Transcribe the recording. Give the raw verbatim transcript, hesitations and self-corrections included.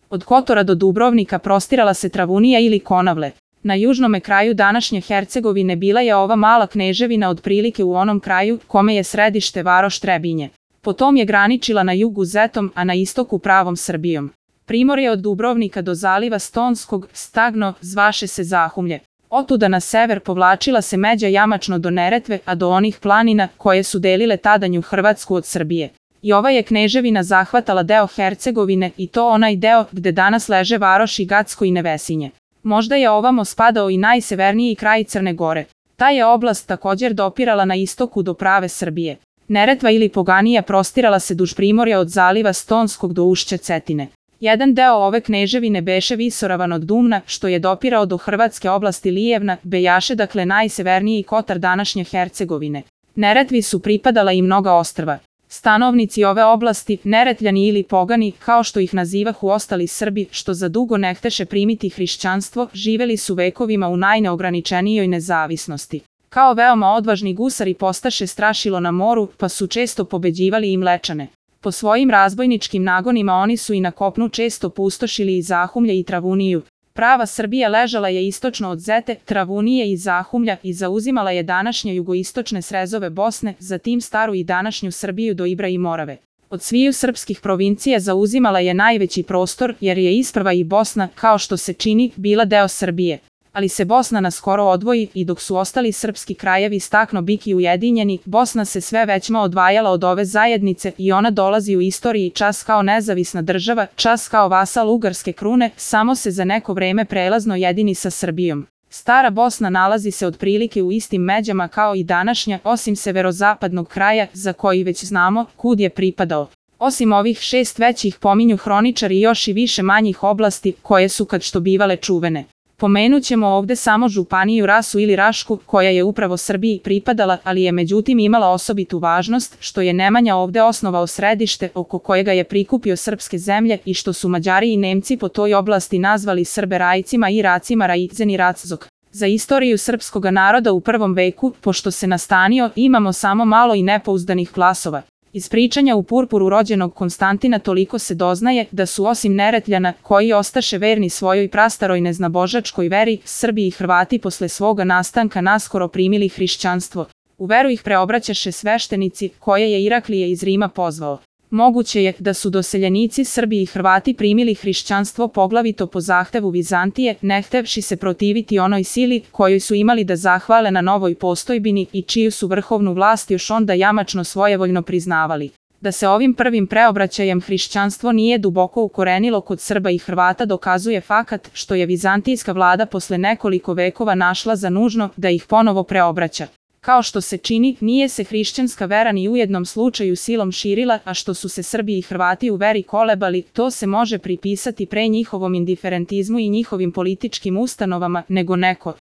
Od Kotora do Dubrovnika prostirala se Travunija ili Konavle. Na južnome kraju današnje Hercegovine bila je ova mala kneževina otprilike u onom kraju kome je središte varoš Trebinje. Potom je graničila na jugu Zetom, a na istoku pravom Srbijom. Primorje od Dubrovnika do zaliva Stonskog, Stagno, zvaše se Zahumlje. Otuda na sever povlačila se međa jamačno do Neretve, a do onih planina koje su delile tadanju Hrvatsku od Srbije. I ova je kneževina zahvatala deo Hercegovine i to onaj deo gde danas leže varoši Gacko i Nevesinje. Možda je ovamo spadao i najseverniji kraj Crne Gore. Ta je oblast također dopirala na istoku do prave Srbije. Neretva ili Poganija prostirala se duž primorja od zaliva Stonskog do ušća Cetine. Jedan deo ove kneževine beše visoravan od Dumna, što je dopirao do hrvatske oblasti Lijevna, bejaše dakle najseverniji kotar današnje Hercegovine. Neretvi su pripadala i mnoga ostrva. Stanovnici ove oblasti, Neretljani ili Pogani, kao što ih nazivahu ostali Srbi, što za dugo ne hteše primiti hrišćanstvo, živeli su vekovima u najneograničenijoj nezavisnosti. Kao veoma odvažni gusari postaše strašilo na moru, pa su često pobeđivali i Mlečane. Po svojim razbojničkim nagonima oni su i na kopnu često pustošili i Zahumlje i Travuniju. Prava Srbija ležala je istočno od Zete, Travunije i Zahumlja i zauzimala je današnje jugoistočne srezove Bosne, zatim staru i današnju Srbiju do Ibra i Morave. Od sviju srpskih provincija zauzimala je najveći prostor jer je isprva i Bosna, kao što se čini, bila deo Srbije. Ali se Bosna naskoro odvoji i dok su ostali srpski krajevi stakno biki ujedinjeni, Bosna se sve većma odvajala od ove zajednice i ona dolazi u istoriji čas kao nezavisna država, čas kao vasal ugarske krune, samo se za neko vreme prelazno jedini sa Srbijom. Stara Bosna nalazi se otprilike u istim međama kao i današnja, osim severozapadnog kraja, za koji već znamo kud je pripadao. Osim ovih šest većih pominju hroničari još i više manjih oblasti, koje su kad što bivale čuvene. Pomenut ćemo ovde samo županiju Rasu ili Rašku, koja je upravo Srbiji pripadala, ali je međutim imala osobitu važnost, što je Nemanja ovde osnovao središte oko kojega je prikupio srpske zemlje i što su Mađari i Nemci po toj oblasti nazvali Srbe Rajcima i Racima Rajicen i Raczok. Za istoriju srpskoga naroda u prvom veku, pošto se nastanio, imamo samo malo i nepouzdanih glasova. Iz pričanja u purpuru rođenog Konstantina toliko se doznaje da su osim Neretljana, koji ostaše verni svojoj prastaroj neznabožačkoj veri, Srbi i Hrvati posle svoga nastanka naskoro primili hrišćanstvo. U veru ih preobraćaše sveštenici, koje je Iraklije iz Rima pozvao. Moguće je da su doseljenici Srbi i Hrvati primili hrišćanstvo poglavito po zahtevu Vizantije, ne htevši se protiviti onoj sili kojoj su imali da zahvale na novoj postojbini i čiju su vrhovnu vlast još onda jamačno svojevoljno priznavali. Da se ovim prvim preobraćajem hrišćanstvo nije duboko ukorenilo kod Srba i Hrvata dokazuje fakat što je vizantijska vlada posle nekoliko vekova našla za nužno da ih ponovo preobraća. Kao što se čini, nije se hrišćanska vera ni u jednom slučaju silom širila, a što su se Srbi i Hrvati u veri kolebali, to se može pripisati pre njihovom indiferentizmu i njihovim političkim ustanovama, nego neko